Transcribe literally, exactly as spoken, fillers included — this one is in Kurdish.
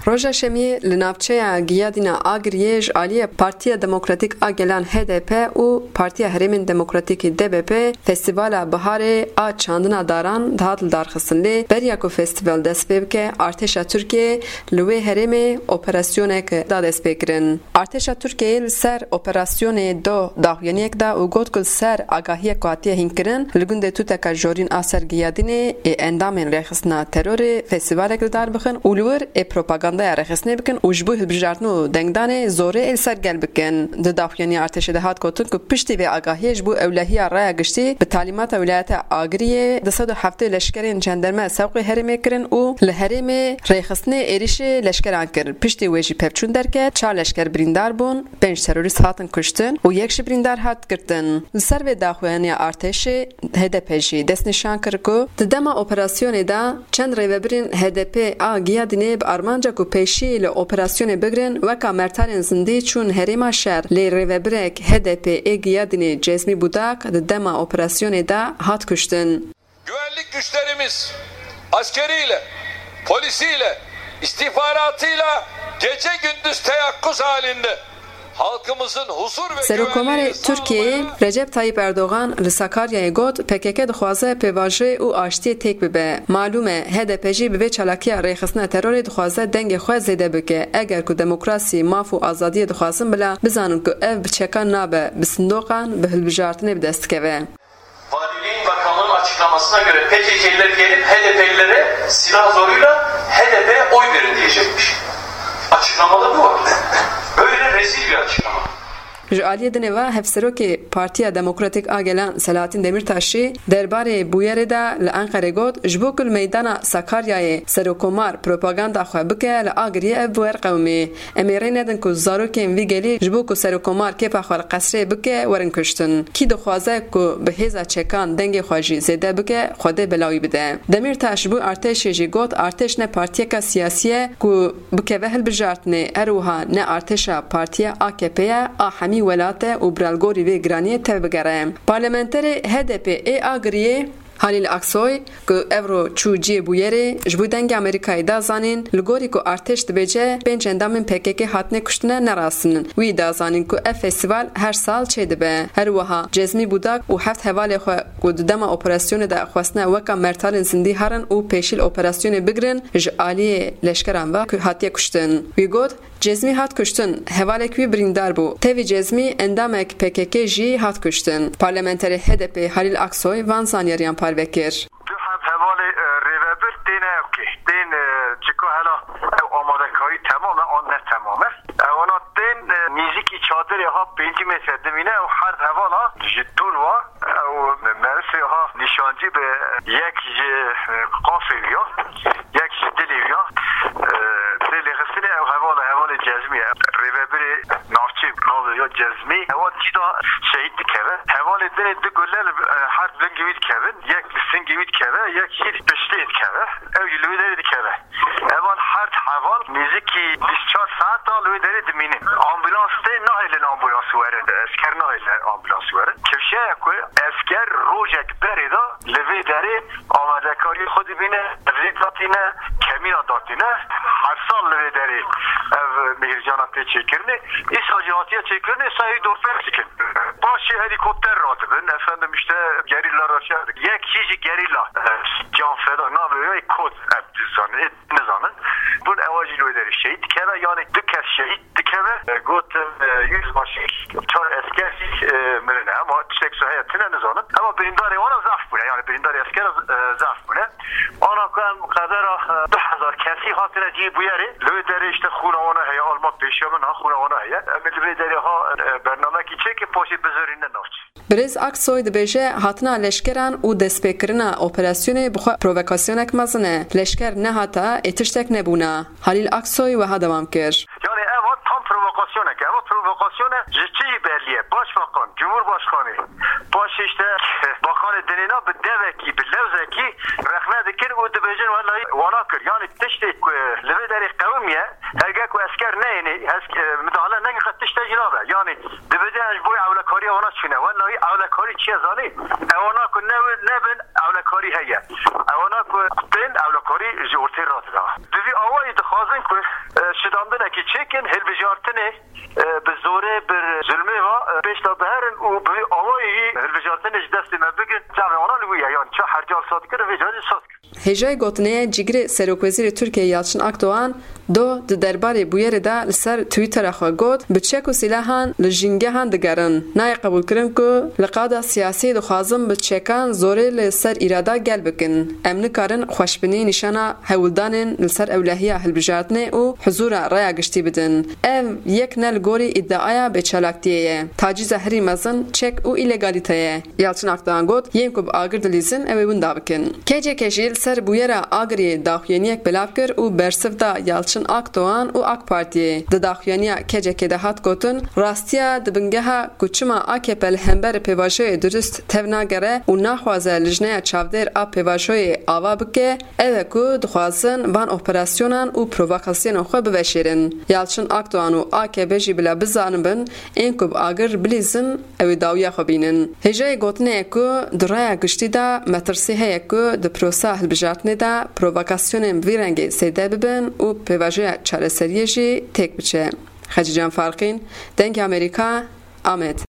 Roja Şemiyê li navçeya Giyadîna Agiriyê ji aliyê Partiya Demokratîk a Gelan H D P û Partiya Herêmên Demokratîkî D B P Festîvala Biharê a çandina daran dihat lidarxistin, lê beriya ku festîval dest pê bike, artêşa Tirkiyê li wê herêmê operasyonek da destpêkirin. Artêşa Tirkiyeyê li ser operasyonê do daxuyaniyek da û got ku li ser agahiyek ku hatiye hînkirin, li gundê Tuteka Jorîn a ser Giyadînê ê endamên rêxistina terorê festîvalek li dar bixin û li wir ê propagandaya rêxistinê bikin û ji bo hilbijartin û dengdanê zorê ê li ser gel bikin. Di daxuyaniya artêşê de hat gotin ku piştî vê agahiyê ji bo ewlehiya raya giştî bi talîmata Wîlayeta Agiriyê du sed û heftê leşkerên cenderme sewqê herêmê kirin û li herêmê rêxistinê êrîşê leşkeran kir. Piştî wê jî pevçûn derket, çar leşker birîndar bûn, pênc terorîst hatin kuştin û yek jî birîndar hat girtin. Li ser vê daxuyaniya artêşê H D P jî destnîşan kir ku di dema operasyonê de çend rêvebirên H D P a Giyadînê bi armanca ku pêşiyê li operasyonê bigirin, weka mertalên zindî çûn herêma şer, lê rêvebirek H D P ê Giyadînê Cezmî Budak di dema operasyonê de hat kuştin. Güvenlik güçlerimiz askeriyle, polisiyle, istihbaratıyla gece gündüz teyakkuz halinde halkımızın huzur ve Serokomarê güvenliğini Tirkiyeyê sağlamaya Recep Tayyip Erdogan li Sakaryayê got, P K K dixwaze pêvajoyê û aştiyê têk bibe. Malûm e, H D P jî bi vê çalakiya rêxistina terorê dixwaze dengê xwe zêde bike. Eger ku demokrasî, maf û azadiyê dixwazin bila, bizanin ku ev bi çekan nabe, bi sindoqan, bi hilbijartinê bi dest dikeve. Valiliğin bakanlığın açıklamasına göre P K K'liler gelip H D P'lilere silah zoruyla H D P'ye oy verin diyecekmiş. Açıklamada bu var. Böyle rezil bir açıklama. Ji aliyê dinê ve Hevserokê Partiya Demokratîk a Gelan Selahattin Demirtaş jî derbarê bûyerê de li Enqerê got, ji bo ku li meydana Sakaryayê Serokomar propaganda xwe bike, li Agiriyê ev bi wer qewimê. Em ê rê nedin ku zarokên vî gelî ji bo ku Serokomar kêfa xwe li qesrê bike, werin kuştin. Kî dixwaze ku bi hêza çekan dengê xwe jî zêde bike, Xwedê bela wî bide. Demîrtaş ji bo artêşê jî got, artêş ne partiyeka siyasî ye ku bikeve hilbijartinê, her wiha ne artêşa partiya A K P ye, a hemî welat e û bi algorî vê giraniyê tevbigere. Parlamenterê H D P ê Agiriyê, Halîl Aksoy, ku evro çû cihê bûyerê, ji bo Dengê Amerîkayê da zanîn, li gorî ku artêş dibêje pênc endamên P K K hatine kuştine, ne rast in. Wî da zanîn ku ev festîval her sal çêdibe. Her wiha Cezmî Budak û heft hevalê xwe ku di dema operasyonê de xwestine weka mertalên zindî herin û pêşî li operasyonê bigirin, ji aliyê leşkeran ve ku hatiye kuştin. Wî got, Cezmî hat kuştin, hevalek wî birîndar bû. Tevî Cezmî endamek P K K jî hat kuştin. Parlamenterê H D P Halîl Aksoy van zanyariyan parve kir. Du heb hevalê, e, rêvebir tên ewkê, tên, e, çika hela ew amadekarî temam e an ne temam e. Ewana tên, e, nêzîkî çadirê ha pêncî metre dimîne, ew her hevala ji dûr ve, ew merifê ha nîşancî bi yek ji, e, qafê wî ya, yek ji dilê wî ya. E, lê lêxistinê ew hevala, hevalê Cezmî ye. Rêvebirê navçê navê ya Cezmî. Ewa cî da şehîd dikeve. Hevalê dinê du gule li, e, her lingê wî dikevin. Yek li singê wî dikeve, yek jî piştê dikeve. Ew jî li wê derê dikeve. Evan her heval nêzîkî bîst çar saeta li wê derê dimînin. Ambulans tê, nahêlin ambulans werin. Esker nahêlin ambulans werin. Kifşeya ku esker rojek berê de li vê derê amadekariyê xwe dibîne, evlî datîne, kemîna datîne. Her sal li vê derê ev mihircana tê çêkirinê. Îsal jî hatiye çêkirinê, sayê dorpêç dikin. Paşê helîkopter radibin, efendim işte gerîla re şer dikin. Yek jî ji gerîla, e, can feda navê wê Kot, em dizanin, ê nizanin. Bûn ewa jî li wê derê şehîd dikeve, yani du kes şehîd dikeve. E, gotin, e, yüzbaşı, çar esker jî, e, mirine. Ama tiştek su heye tine nizanin. Ama birîndarê wana zaf bûne, yani birîndarê esker, e, zaf bûne. Ana ku em qedera, e, du hezar kesî hatine cihê bûyerê. Li wê derê işte xûna wana heye, alma pêşiya min ha xûna wana heye. Em ê li vê derê ha, e, bernamekî çêkin, paşê bizirîne navçê. Birêz Aksoy dibêje, hatina leşkeran û destpêkirina operasyonê bi xwe provokasyonek mezin e. Leşker nehata, ê tiştek nebûna. Halîl Aksoy wiha dewam kir. Yani eva tam provokasyonek e. Eva provokasyon e, ji çi jî bellî ye. Başbakan, Cumhurbaşkanı, paşê işte bakanê dinêna bi devekî, bi lewzekî rexne dikin û dibêjin, wellahî wana kir. Yani tiştê ku li vê derê qewimiye, herge ku esker neyêne, esk-, e, midahale neke, qet tişte jî nabe. Yani dibêje, em ji bo ewlekariya wana çûne. Wellahî ewlekarî çi ye zanî? Ewana ku ne, nebin, ewlekarî heye. Ewana ku tên, ewlekarî ji ortê radida. Bi vî awayî dixwazin ku, e, Şidandinekî çêkin, hilbijartinê, e, bi zorê, bi zulmê ve, e, pêş de biherin û bi awayî hilbijartinê ji destê me bikin. Çavê wana li wî ye, yan çi hercal saz kirin, vê carî saz kirin. Hêjayî gotinê ye, cîgirê Serokwezîrê Tirkiyê Yalçın Akdoğan do di derbarê bûyerê de li ser Twittera xwe got, bi çek û sîlahan li jîngehan digerin. Nayê qebûlkirin ku li qada siyasî dixwazin bi çekan zorê li ser îrada gel bikin. Em nikarin xweşbinî nîşana hewldanên li ser ewlehiya hilbijartinê û huzûra raya giştî bidin. Ev yek ne li gorî îdiaya bêçalaktiyê ye. Tacîza herî mezin çek û îlegalîte ye. Yalçın Akdoğan got, yên ku bi agir dilîzin, ew ê winda bikin. K C K jî li ser bûyera agiriyê daxuyaniyek belav kir û bersiv da Yalçın Akdoğan û AK Partiyê. Di daxuyaniya K C K de hat gotin, rastiya di bingeha ku çima A K P li hember pêvajoyê durust tev nagere û naxwaze lijneya çavdêr a pêvajoyê ava bike, ew e ku dixwazin van operasyonan û provokasyonan xwe biveşêrin. Yalçın Akdoğan û A K P jî bila bizanibin, ên ku bi agir bilîzin, ew ê dawiya xwe bînin. Hêjayê gotinê ye ku di raya giştî de metirsî heye ku di prosa hilbijartinê de provokasyonên bi vî rengê zêde bibin û pêvajoya çareseriyê jî têk biçe. Xecîcan Farqîn, Dengê Amerîka, Amed.